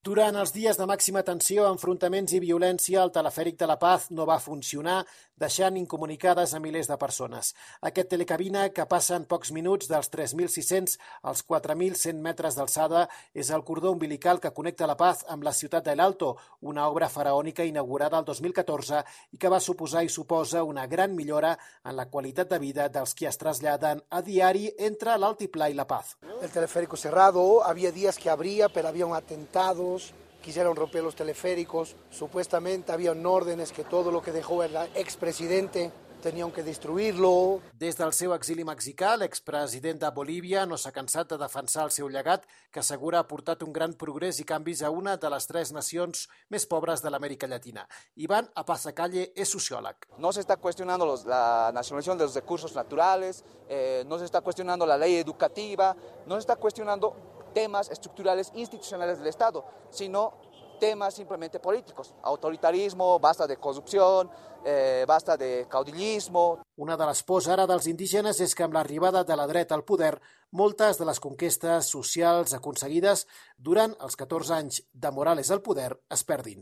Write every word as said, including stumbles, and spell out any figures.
Durant els dies de màxima tensió, enfrontaments i violència, el telefèric de la Paz no va funcionar, deixant incomunicades a milers de persones. Aquest telecabina, que passa en pocs minuts dels tres mil sis-cents als quatre mil cent metres d'alçada, és el cordó umbilical que connecta la Paz amb la ciutat d'El Alto, una obra faraònica inaugurada el dos mil catorze i que va suposar i suposa una gran millora en la qualitat de vida dels qui es traslladen a diari entre l'Altiplà i la Paz. El teleférico cerrado, había días que abría, pero había un atentado. Quisieron romper los teleféricos, supuestamente habían órdenes que todo lo que dejó el expresidente tenían que destruirlo. Des del seu exili mexicà, l'expresident de Bolívia no s'ha cansat de defensar el seu llegat, que assegura ha portat un gran progrés i canvis a una de les tres nacions més pobres de l'Amèrica Llatina. Iván Apazacalle és sociòleg. No se está cuestionando los, la nacionalización de los recursos naturales, eh, no se está cuestionando la ley educativa, no se está cuestionando temas estructurales institucionales del Estado, sino temas simplemente políticos. Autoritarismo, basta de corrupción, eh, basta de caudillismo. Una de les pors ara dels indígenes és que amb l'arribada de la dreta al poder, moltes de les conquestes socials aconseguides durant els catorze anys de Morales al poder es perdin.